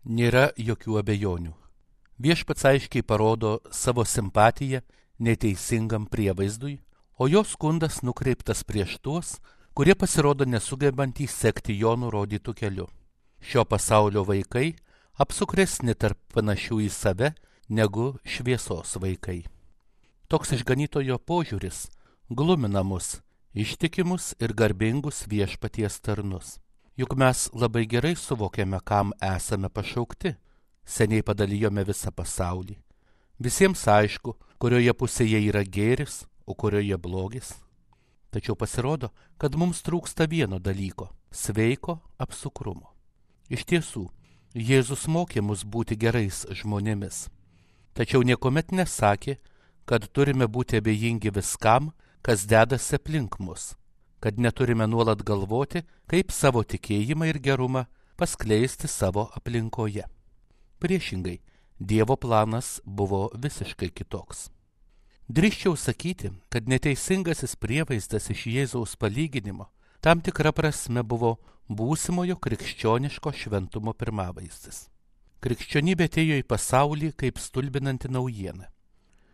Nėra jokių abejonių. Viešpats aiškiai parodo savo simpatiją neteisingam prievaizdui, o jo skundas nukreiptas prieš tuos, kurie pasirodo nesugebantys sekti jo nurodytų keliu. Šio pasaulio vaikai apsukresni tarp panašių į save negu šviesos vaikai. Toks išganytojo požiūris glumina mus, ištikimus ir garbingus viešpaties tarnus. Juk mes labai gerai suvokiame, kam esame pašaukti. Seniai padalijome visą pasaulį. Visiems aišku, kurioje pusėje yra gėris, o kurioje blogis. Tačiau pasirodo, kad mums trūksta vieno dalyko – sveiko apsukrumo. Iš tiesų, Jėzus mokė mus būti gerais žmonėmis. Tačiau niekuomet nesakė, kad turime būti abejingi viskam, kas dedasi aplink mus, kad neturime nuolat galvoti, kaip savo tikėjimą ir gerumą paskleisti savo aplinkoje. Priešingai, Dievo planas buvo visiškai kitoks. Drįsčiau sakyti, kad neteisingasis prievaizdas iš Jėzaus palyginimo tam tikra prasme buvo būsimojo krikščioniško šventumo pirmavaizdis. Krikščionybė atėjo į pasaulį kaip stulbinanti naujiena.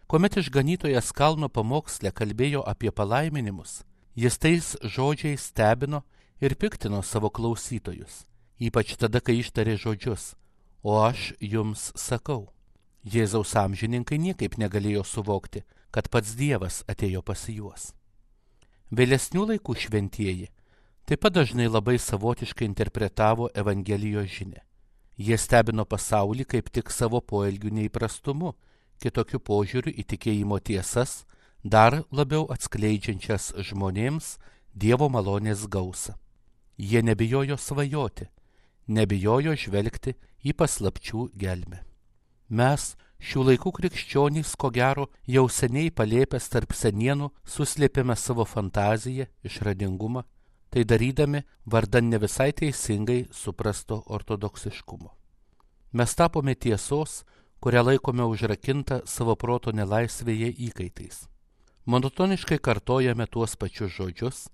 Kuomet išganytojas kalno pamoksle kalbėjo apie palaiminimus, jis tais žodžiais stebino ir piktino savo klausytojus, ypač tada, kai ištarė žodžius: o aš jums sakau. Jėzaus amžininkai niekaip negalėjo suvokti, kad pats Dievas atėjo pas juos. Vėlesnių laikų šventieji taip pat dažnai labai savotiškai interpretavo Evangelijos žinią. Jie stebino pasaulį kaip tik savo poelgių neįprastumu, kitokiu požiūriu į tikėjimo tiesas, dar labiau atskleidžiančias žmonėms Dievo malonės gausą. Jie nebijojo svajoti, nebijojo žvelgti į paslapčių gelmę. Mes, šių laikų krikščionys, ko gero, jau seniai palėpęs tarp senienų suslėpėme savo fantaziją, išradingumą, tai darydami vardan ne visai teisingai suprasto ortodoksiškumo. Mes tapome tiesos, kurią laikome užrakintą savo proto nelaisvėje įkaitais. Monotoniškai kartojame tuos pačius žodžius,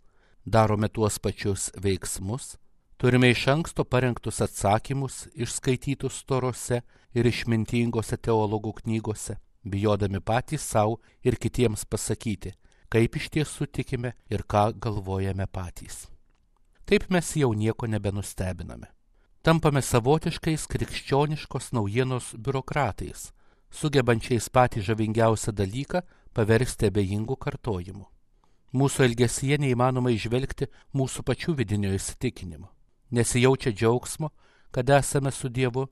darome tuos pačius veiksmus, turime iš anksto parengtus atsakymus išskaitytus storose ir išmintingose teologų knygose, bijodami patys savo ir kitiems pasakyti, kaip iš tiesų tikime ir ką galvojame patys. Taip mes jau nieko nebenustebiname. Tampame savotiškais krikščioniškos naujienos biurokratais, sugebančiais patį žavingiausią dalyką paversti abejingų kartojimu. Mūsų elgesyje neįmanoma įžvelgti mūsų pačių vidinio įsitikinimo. Nesijaučia džiaugsmo, kad esame su Dievu.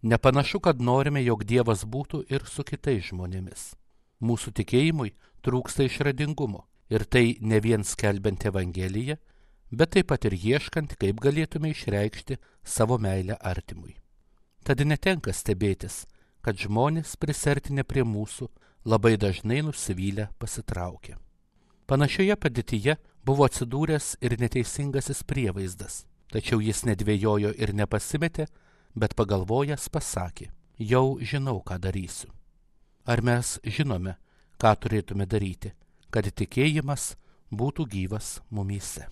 Nepanašu, kad norime, jog Dievas būtų ir su kitais žmonėmis. Mūsų tikėjimui trūksta išradingumo, ir tai ne vien skelbiant Evangeliją, bet taip pat ir ieškant, kaip galėtume išreikšti savo meilę artimui. Tad netenka stebėtis, kad žmonės prisertinę prie mūsų labai dažnai nusivylę pasitraukia. Panašioje padėtyje buvo atsidūręs ir neteisingasis prievaizdas, tačiau jis nedvėjojo ir nepasimetė, bet pagalvojęs pasakė: jau žinau, ką darysiu. Ar mes žinome, ką turėtume daryti, kad tikėjimas būtų gyvas mumyse?